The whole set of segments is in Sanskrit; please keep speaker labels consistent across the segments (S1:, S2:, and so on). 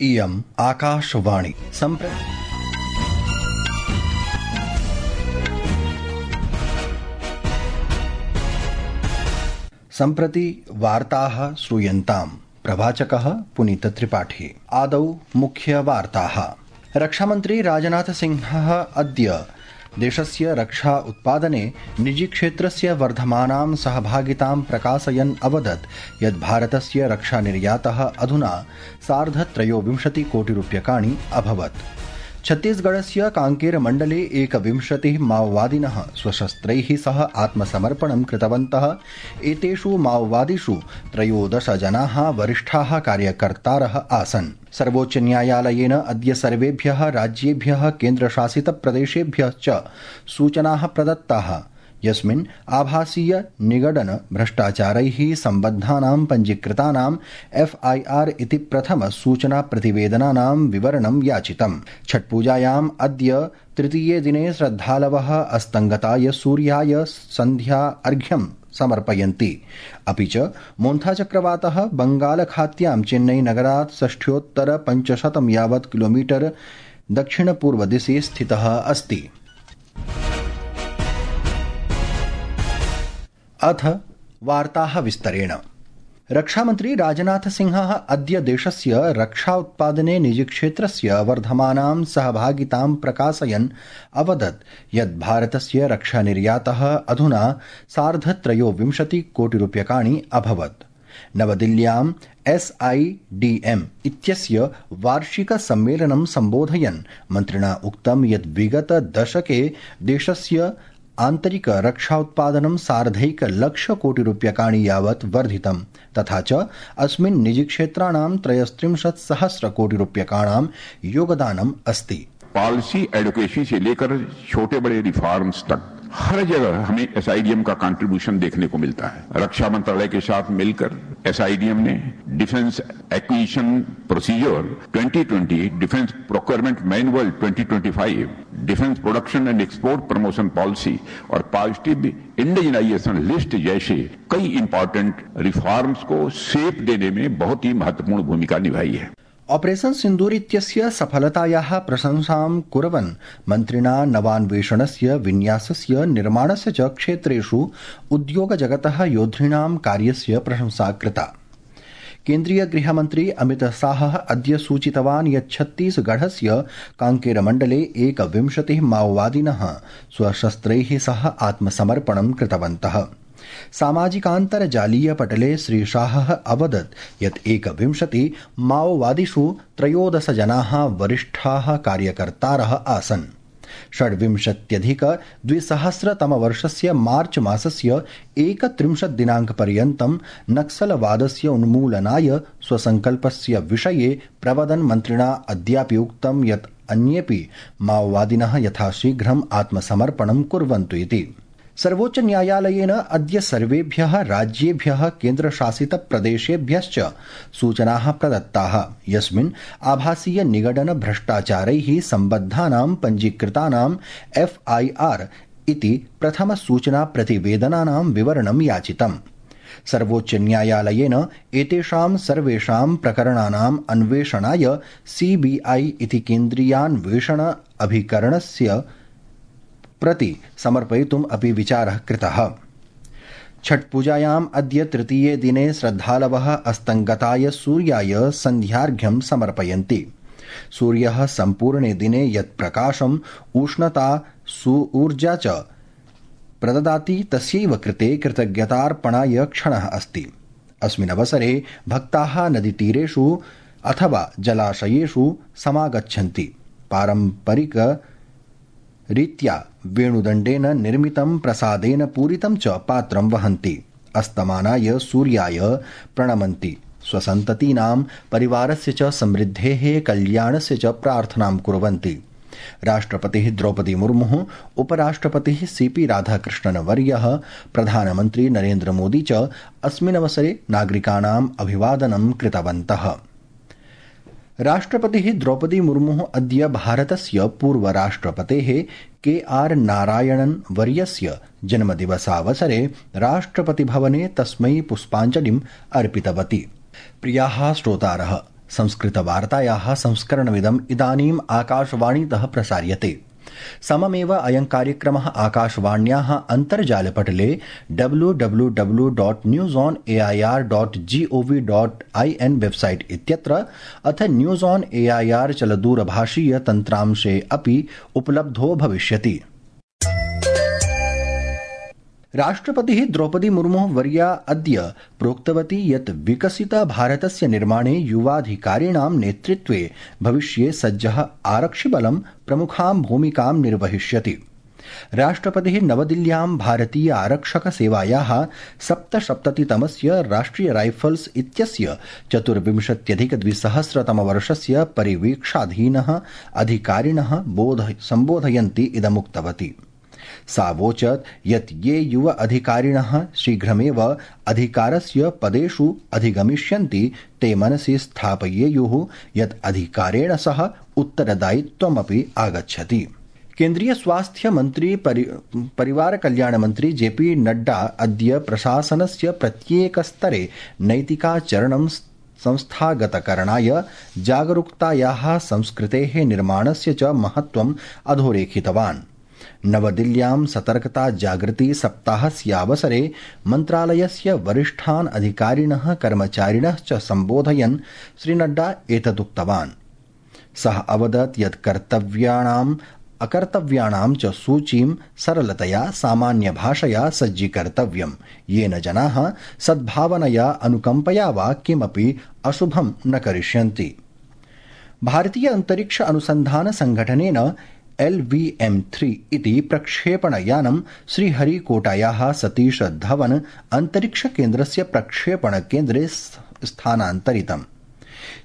S1: इयम् आकाशवाणी सम्प्रति वार्ताः श्रूयन्ताम्। प्रवाचकः पुनीत त्रिपाठी। आदौ मुख्यवार्ताः। रक्षामन्त्री राजनाथ सिंहः अद्य देशस्य रक्षा उत्पादने निजीक्षेत्रस्य वर्धमानां सहभागितां प्रकाशयन् अवदत् यत् भारतस्य रक्षानिर्यातः अधुना 23 कोटिरूप्यकाणि अभवत्। छत्तीसगढ़स्य कांकेर मण्डले 21 माओवादिनः स्वशस्त्रैः सह आत्मसमर्पणं कृतवन्तः। एतेषु माओवादिषु 13 जनाः वरिष्ठाः कार्यकर्तारः आसन्। सर्वोच्चन्यायालयेन अद्य सर्वेभ्यः राज्येभ्यः केन्द्रशासितप्रदेशेभ्यः च सूचनाः प्रदत्ताः, यस्मिन् आभासीय निगडन भ्रष्टाचारैः सम्बद्धानां पञ्जीकृतानां FIR इति प्रथम सूचना प्रतिवेदनानां विवरणं याचितम्। छठपूजायाम् अद्य तृतीये दिने श्रद्धालवः अस्तङ्गताय सूर्याय सन्ध्या अर्घ्यं समर्पयन्ति। अपि च मोन्था चक्रवातः बंगालखात्यां चेन्नई नगरात् 6,500 यावत् किलोमीटर दक्षिणपूर्वदिशि स्थितः अस्ति। अथ वार्ताः विस्तरेण। रक्षामन्त्री राजनाथ सिंहः अद्य देशस्य रक्षा उत्पादने निजीक्षेत्रस्य वर्धमानां सहभागितां प्रकाशयन् अवदत् यत् भारतस्य रक्षानिर्यातः अधुना 23 कोटिरूप्यकाणि अभवत्। नवदिल्ल्यां SIDM इत्यस्य वार्षिक सम्मेलनं सम्बोधयन् मन्त्रिणा उक्तं यत् विगत दशके देशस्य आन्तरिक रक्षा उत्पादनं 1.5 कोटिरूप्यकाणि यावत् वर्धितं, तथा च अस्मिन् निजीक्षेत्राणां 33,000 कोटिरूप्यकाणां योगदानम् अस्ति।
S2: पॉलिसी एडवोकेसी से लेकर छोटे बड़े रिफॉर्म्स तक हर जगह हमें SIDM का कंट्रीब्यूशन देखने को मिलता है। रक्षा मंत्रालय के साथ मिलकर SIDM ने defence acquisition procedure 2020, defence procurement manual 2025, defence production and export promotion policy और पॉजिटिव इंडिजिनाइजेशन लिस्ट जैसे कई इंपॉर्टेंट रिफॉर्म्स को शेप देने में बहुत ही महत्वपूर्ण भूमिका निभाई है।
S1: ऑपरेशन सिन्दूर इत्यस्य सफलतायाः प्रशंसां कुर्वन् मन्त्रिणा नवान्वेषणस्य, विन्यासस्य, निर्माणस्य च क्षेत्रेषु उद्योगजगतः योद्धॄणां कार्यस्य प्रशंसा कृता। केन्द्रीय गृहमन्त्री अमित शाहः अद्य सूचितवान् यत् छत्तीसगढ़स्य कांकेर मण्डले 21 माओवादिनः स्वशस्त्रैः सह आत्मसमर्पणं कृतवन्तः। सामाजिकान्तर्जालीय पटले श्री शाहः अवदत् यत् 21 माओवादिषु 13 जनाः वरिष्ठाः कार्यकर्तारः आसन्। 26,2000 मार्च मासस्य 31 दिनाङ्कपर्यन्तं नक्सलवादस्य उन्मूलनाय स्वसङ्कल्पस्य विषये प्रवदन् मन्त्रिणा अद्यापि उक्तं यत् अन्येऽपि माओवादिनः यथाशीघ्रम् आत्मसमर्पणं कुर्वन्तु इति। सर्वोच्च न्यायालयेन अद्य सर्वेभ्यः राज्येभ्यः केन्द्रशासितप्रदेशेभ्यश्च सूचनाः प्रदत्ताः, यस्मिन् आभासीय निगडन भ्रष्टाचारैः सम्बद्धानां पञ्जीकृतानां FIR इति प्रथम सूचना प्रतिवेदनानां विवरणं याचितम्। सर्वोच्च न्यायालयेन एतेषां सर्वेषां प्रकरणानाम् अन्वेषणाय CBI इति केन्द्रीयान्वेषण अभिकरणस्य प्रति समर्पयितुम् अपि विचारः कृतः। छठपूजायाम् अद्य तृतीये दिने श्रद्धालवः अस्तङ्गताय सूर्याय सन्ध्यार्घ्यं समर्पयन्ति। सूर्यः सम्पूर्णे दिने यत् प्रकाशम्, उष्णता, ऊर्जा च प्रददाति तस्यैव कृते कृतज्ञतार्पणाय क्षणः अस्ति। अस्मिन् अवसरे भक्ताः नदीतीरेषु अथवा जलाशयेषु समागच्छन्ति। पारम्परिक रीत्या वेणुदण्डेन निर्मितं प्रसादेन पूरितं च पात्रं वहन्ति। अस्तमानाय सूर्याय प्रणमन्ति। स्वसन्ततीनां परिवारस्य च समृद्धेः कल्याणस्य च प्रार्थनां कुर्वन्ति। राष्ट्रपतिः द्रौपदी मुर्मुः, उपराष्ट्रपतिः CP राधाकृष्णनवर्यः, प्रधानमन्त्री नरेन्द्र मोदी च अस्मिन् अवसरे नागरिकाणाम् अभिवादनं कृतवन्तः। राष्ट्रपतिः द्रौपदी मुर्मुः अद्य भारतस्य पूर्वराष्ट्रपतेः KR नारायणन् वर्यस्य जन्मदिवसावसरे राष्ट्रपतिभवने तस्मै पुष्पाञ्जलिम् अर्पितवती। प्रियाः श्रोतारः, संस्कृतवार्तायाः संस्करणमिदम् इदानीम् आकाशवाणीतः प्रसार्यते। सममेव अयं कार्यक्रमः आकाशवाण्याः अन्तर्जालपटले www.newsonair.gov.in वेबसाइट इत्यत्र अथ न्यूज ऑन एआईआर चलदूरभाषीय तन्त्रांशे अपि उपलब्धो भविष्यति। राष्ट्रपतिः द्रौपदी मुर्मुः वर्या अद्य प्रोक्तवती यत् विकसित भारतस्य निर्माणे युवाधिकारिणां नेतृत्वे भविष्ये सज्जः आरक्षिबलं प्रमुखां भूमिकां निर्वहिष्यति। राष्ट्रपतिः नवदिल्ल्यां भारतीय आरक्षक सेवायाः 77तमस्य राष्ट्रिय राइफल्स् इत्यस्य 24,200 परिवीक्षाधीनः अधिकारिणः सम्बोधयन्ती इदमुक्तवती। सा वोचत् यत् ये युव अधिकारिणः शीघ्रमेव अधिकारस्य पदेषु अधिगमिष्यन्ति ते मनसि स्थापयेयुः यत् अधिकारेण सह उत्तरदायित्वमपि आगच्छति। केन्द्रीय स्वास्थ्य मंत्री परिवार कल्याण मंत्री जेपी नड्डा अद्य प्रशासनस्य प्रत्येकस्तरे नैतिकाचरणं संस्थागतकरणाय जागरूकतायाः संस्कृतेः निर्माणस्य च महत्त्वम् अधोरेखितवान्। नवदिल्ल्यां सतर्कता जागृति सप्ताहस्यावसरे मन्त्रालयस्य वरिष्ठान् अधिकारिणः कर्मचारिणः च सम्बोधयन् श्रीनड्डा एतदुक्तवान्। सः अवदत् यत् कर्तव्याणाम् अकर्तव्याणां च सूचीं सरलतया सामान्यभाषया सज्जीकर्तव्यम्, येन जनाः सद्भावनया अनुकम्पया वा किमपि अशुभं न करिष्यन्ति। भारतीय अंतरिक्ष अनुसंधान संघटनेन LVM-3 इति प्रक्षेपणयानं श्रीहरिकोटायाः सतीश धवन अंतरिक्ष केन्द्रस्य प्रक्षेपणकेन्द्रे स्थानान्तरितम्।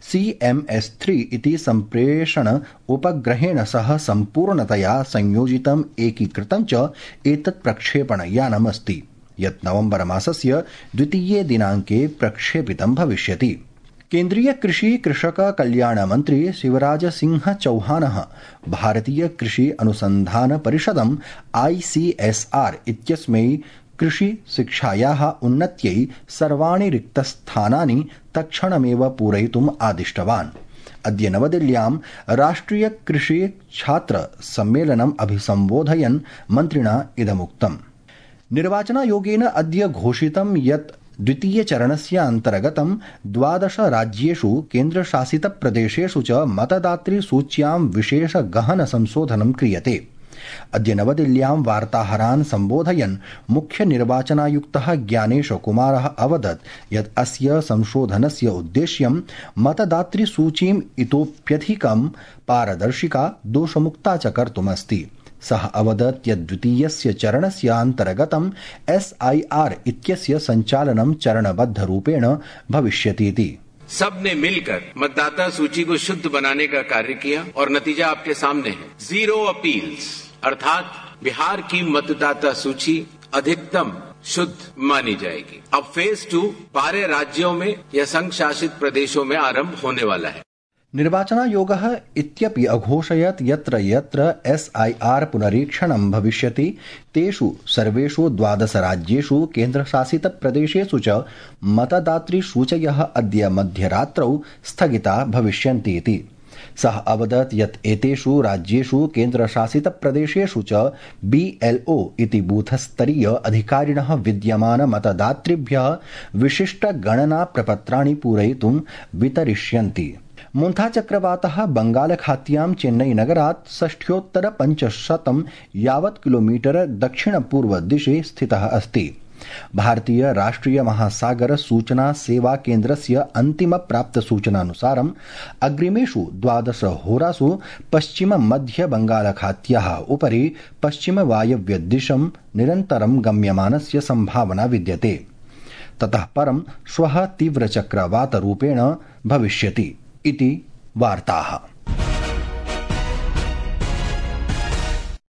S1: CMS-3 इति सम्प्रेषण उपग्रहेण सह सम्पूर्णतया संयोजितम् एकीकृतं च एतत् प्रक्षेपणयानमस्ति, यत् नवम्बर मासस्य 2 दिनाङ्के प्रक्षेपितं भविष्यति। केन्द्रीय कृषि कृषक कल्याण मंत्री शिवराज सिंह चौहानः भारतीय कृषि अनुसंधान परिषदं ICSR इत्यस्मै कृषि शिक्षायाः उन्नत्यै सर्वाणि रिक्तस्थानानि तत्क्षणमेव पूरयितुम् आदिष्टवान्। अद्य नवदिल्ल्यां राष्ट्रिय कृषि छात्र सम्मेलनम् अभिसम्बोधयन् मन्त्रिणा इदमुक्तम्। निर्वाचनायोगेन अद्य घोषितं यत् द्वितीयचरणस्य अन्तर्गतं 12 राज्येषु केन्द्रशासितप्रदेशेषु च मतदातृसूच्यां विशेष गहन संशोधनं क्रियते। अद्य नवदिल्ल्यां वार्ताहरान् सम्बोधयन् मुख्य निर्वाचनायुक्तः ज्ञानेश कुमारः अवदत् यत् अस्य संशोधनस्य उद्देश्यं मतदातृसूचीम् इतोप्यधिकं पारदर्शिका दोषमुक्ता च कर्तुमस्ति। सः अवदत् यत् द्वितीयस्य चरणस्य अन्तर्गतं SIR इत्यस्य सञ्चालनं चरणबद्धरूपेण भविष्यतीति।
S3: सबने मिलकर मतदाता सूची को शुद्ध बनाने का कार्य किया और नतीजा आपके सामने है। 0 अपील्स अर्थात बिहार की मतदाता सूची अधिकतम शुद्ध मानी जाएगी। अब फेज 2 बारह राज्यों में या संघ शासित प्रदेशों में आरंभ होने वाला है।
S1: निर्वाचनायोगः इत्यपि अघोषयत् यत्र यत्र SIR पुनरीक्षणं भविष्यति तेषु सर्वेषु 12 राज्येषु केन्द्रशासितप्रदेशेषु च मतदातृसूचयः अद्य मध्यरात्रौ स्थगिता भविष्यन्ति इति। सः अवदत् यत् एतेषु राज्येषु केन्द्रशासितप्रदेशेषु च BLO इति बूथस्तरीय अधिकारिणः विद्यमान मतदातृभ्यः विशिष्टगणनाप्रपत्राणि पूरयितुं वितरिष्यन्ति। मुन्था चक्रवातः बंगालखात्यां चेन्नईनगरात् 6,500 यावत् किलोमीटर दक्षिणपूर्वदिशि स्थितः अस्ति। भारतीय राष्ट्रिय महासागर सूचना सेवा केन्द्रस्य अन्तिम प्राप्त सूचनानुसारम् अग्रिमेषु 12 होरासु पश्चिम मध्य बंगालखात्याः उपरि पश्चिम वायव्यदिशं निरन्तरं गम्यमानस्य संभावना विद्यते। ततः परं श्वः तीव्रचक्रवातरूपेण भविष्यति इति वार्ताः।